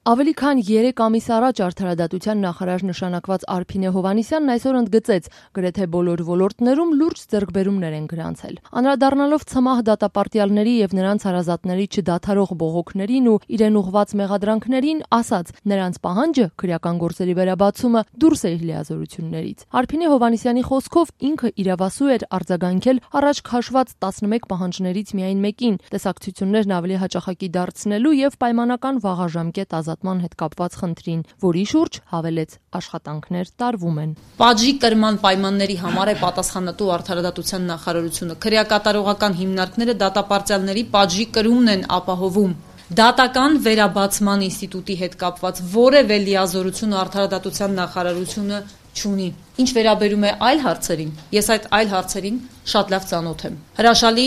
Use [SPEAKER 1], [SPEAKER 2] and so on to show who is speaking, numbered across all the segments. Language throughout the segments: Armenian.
[SPEAKER 1] Ավելի քան 3 ամիս առաջ արդարադատության նախարար նշանակված Արփինե Հովհաննիսյանն այսօր ընդգծեց, գրեթե բոլոր ոլորտներում լուրջ ձեռքբերումներ են գրանցել։ Անդրադառնալով ՑՄԱՀ դատապարտյալների եւ նրանց հարազատների չդադարող բողոքներին ու իրեն ուղղված մեղադրանքներին, ասաց, նրանց պահանջը քրեական գործերի վերաբացումը դուրս է իր լիազորություններից։ Արփինե Հովհաննիսյանի խոսքով ինքը իրավասու էր արձագանքել առաջ քաշված 11 պահանջներից միայն մեկին, տեսակցություններն ավելի հաճախակի դարձնելու եւ պայմանական վաղաժամկետ ազատման հետ կապված խնդրին, որի շուրջ հավելեց աշխատանքներ տարվում են։
[SPEAKER 2] Պատժի կրման պայմանների համար է պատասխանատու արդարադատության նախարարությունը։ Քրեակատարողական հիմնարկները դատապարտյալների պատժի կրումն են ապահովում։ Դատական վերաբացման ինստիտուտի հետ կապված որևէ լիազորություն արդարադատության նախարարությունը չունի։ Ինչ վերաբերում է այլ հարցերին, ես այդ այլ հարցերին շատ լավ ծանոթ եմ։ Հրաշալի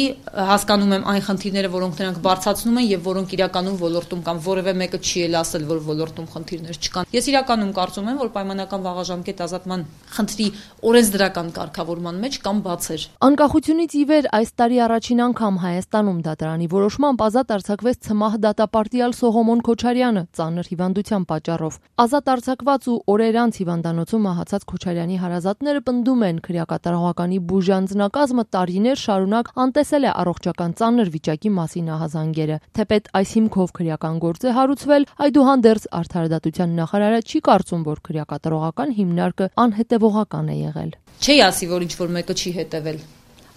[SPEAKER 2] հասկանում եմ այն խնդիրները, որոնք նրանք բարձրացնում են եւ որոնք իրականում ոլորտում կան, որևէ մեկը չի էլ ասել, որ ոլորտում խնդիրներ չկան։ Ես իրականում կարծում եմ, որ պայմանական վաղաժամկետ ազատման խնդրի օրենսդրական կարգավորման մեջ կան բացեր։
[SPEAKER 1] Անկախությունից ի վեր այս տարի առաջին անգամ Հայաստանում դատարանի որոշմամբ ազատ արձակվեց ՑՄԱՀ դատապարտյալ Սողոմոն Քոչարյանը ծանր հիվանդության պատճառով։ Ազատ արձակված ու օրեր անց հիվանդանոցում մահացած Քոչարյանի հարազատները պնդում են, քրեակատարողականի բուժանձնակազմը տարիներ շարունակ անտեսել է առողջական ծանր վիճակի մասին ահազանգերը։ Թեպետ այս հիմքով քրեական գործ է հարուցվել, այդուհանդերձ արդարադատության նախարարը չի կարծում, որ քրեակատարողական հիմնարկը անհետևողական է եղել։
[SPEAKER 2] Չի ասի, որ ինչ-որ մեկը չի հետևել։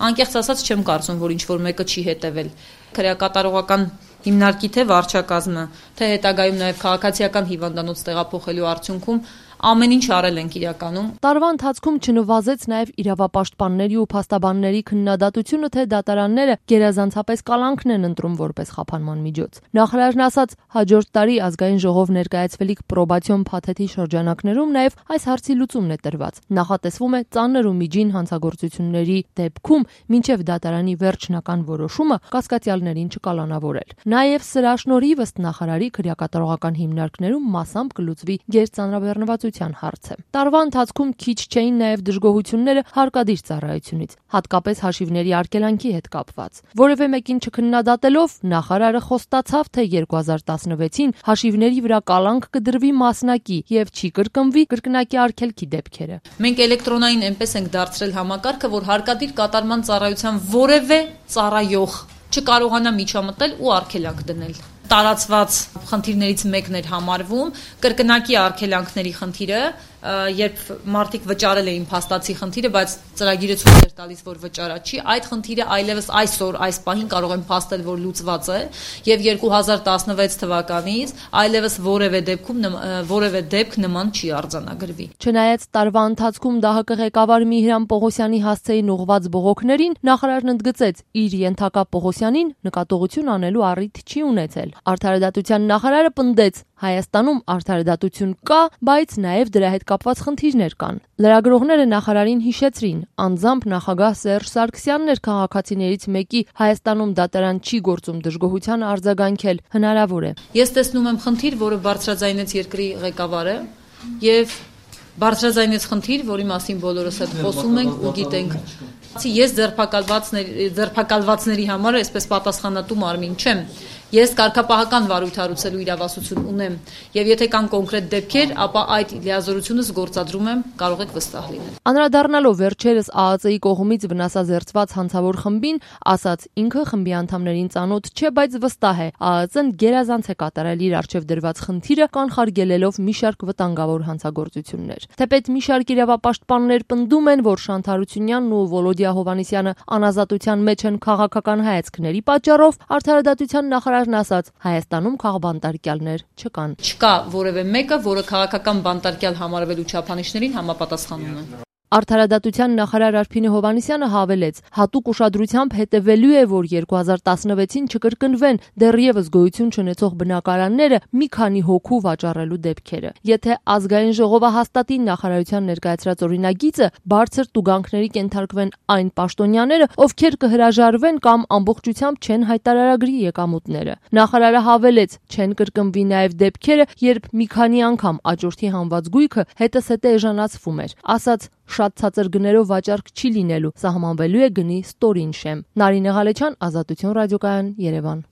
[SPEAKER 2] Անկեղծ ասած չեմ կարծում, որ ինչ-որ մեկը չի հետևել։ Քրեակատարողական հիմնարկի թե վարչակազմը, թե հետագայում նաև քաղաքացիական հիվանդանոց տեղափոխելու արդյունքում ամեն ինչ արել ենք իրականում։
[SPEAKER 1] Տարվա ընթացքում չնվազեց նաև իրավապաշտպանների ու փաստաբանների քննադատությունը, թե դատարանները գերազանցապես կալանքն են ընտրում որպես խափանման միջոց։ Նախարարն ասաց, հաջորդ տարի ազգային ժողով ներկայացվելիք պրոբացիոն փաթեթի շրջանակներում նաև այս հարցի լուծումն է տրված։ Նախատեսվում է ծանր ու միջին հանցագործությունների դեպքում մինչև դատարանի վերջնական որոշումը կասկածյալներին չկալանավորել։ Նաև սրա շնորհիվ ըստ նախարարի քրեակատարողական հիմնարկներում մասամբ կլուծվի գերծանրաբեռնվածության հարցը։ Տարվա ընթացքում քիչ չէին նաև դժգոհությունները հարկադիր ծառայությունից, հատկապես հաշիվների արգելանքի հետ կապված։ Որևէ մեկին չքննադատելով նախարարը խոստացավ, թե 2016-ին հաշիվների վրա կալանք կդրվի մասնակի եւ չի կրկնվի կրկնակի արգելքի դեպքերը։
[SPEAKER 2] Մենք էլեկտրոնային այնպես ենք դարձրել համակարգը, որ հարկադիր կատարման ծառայության որևէ ծառայող չկարողանա միջամտել ու արգելանք դնել։ Տարածված խնդիրներից մեկն էր համարվում կրկնակի արգելանքների խնդիրը, երբ մարդիկ վճարել էին փաստացի խնդիրը, բայց ծրագիրը ցույց էր տալիս, որ վճարա չի, այդ խնդիրը այլևս այսօր այս պահին կարող են փաստել, որ լուծված է, եւ 2016 թվականից այլևս որևէ դեպք նման չի արձանագրվի։
[SPEAKER 1] Չնայած տարվա ընթացքում ԴՀԿ ղեկավար Միհրան Պողոսյանի հասցեին ուղղված բողոքներին, նախարարն ընդգծեց, իր ենթակա Պողոսյանին նկատողություն անելու առիթ չի ունեցել։ Արդարադատության նախարարը պնդեց, Հայաստանում արդարադատություն կա, բայց նաև դրա հետ կապված խնդիրներ կան։ Լրագրողները նախարարին հիշեցրին, անձամբ նախագահ Սերժ Սարգսյանն էր քաղաքացիներից մեկի Հայաստանում դատարան չի գործում դժգոհության արձագանքել հնարավոր է։
[SPEAKER 2] Ես տեսնում եմ խնդիր, որը բարձրաձայնեց երկրի ղեկավարը եւ բարձրաձայնեց խնդիր, որի մասին բոլորս հետ խոսում ենք ու գիտենք։ Ես ձերբակալվածների համար այսպես պատասխանատու մարմին չեմ։ Ես կարգապահական վարույթ հարուցելու իրավասություն ունեմ, եւ եթե կան կոնկրետ դեպքեր, ապա այդ լիազորությունս գործադրում եմ, կարող եք վստահ լինել։
[SPEAKER 1] Անդրադառնալով վերջերս ԱԱԾ-ի կողմից վնասազերծված հանցավոր խմբին, ասաց ինքը խմբի անդամներին ծանոթ չէ, բայց վստահ է, ԱԱԾ-ն գերազանց է կատարել իր առջև դրված խնդիրը, կանխարգելելով մի շարք վտանգավոր հանցագործություններ։ Թեպետ մի շարք իրավապաշտպաններ պնդում են, որ Շանթ Հարությունյանն ու Վոլոդիա Հովհաննիսյանը անազատության մեջ են քաղաքական հայացքների պատճառով, արդարադատության նախարարն ասաց, Հայաստանում քաղբանտարկյալներ չկան։
[SPEAKER 2] Չկա որևէ մեկը, որը քաղաքական բանտարկյալ համարվելու չափանիշներին համապատասխանում է։
[SPEAKER 1] Արդարադատության նախարար Արփինե Հովհաննիսյանը հավելեց, հատուկ ուշադրությամբ հետևելու է, որ 2016-ին չկրկնվեն դեռևս գոյություն չունեցող բնակարանները մի քանի հոգու վաճառելու դեպքերը։ Եթե ազգային ժողովը հաստատի նախարարության ներկայացրած օրինագիծը, բարձր տուգանքների կենթարկվեն այն պաշտոնյաները, ովքեր կհրաժարվեն կամ ամբողջությամբ չեն հայտարարագրի եկամուտները։ Նախարարը հավելեց, չեն կրկնվի նաև դեպքերը, երբ մի քանի անգամ աճուրդի հանված գույքը հետզհետե էժանացվում էր։ Ասաց, շատ ցածր գներով վաճառք չի լինելու, սահմանվելու է գնի ստորին շեմ։ Նարինե Ղալեչյան, Ազատություն ռադիոկայան, Երևան։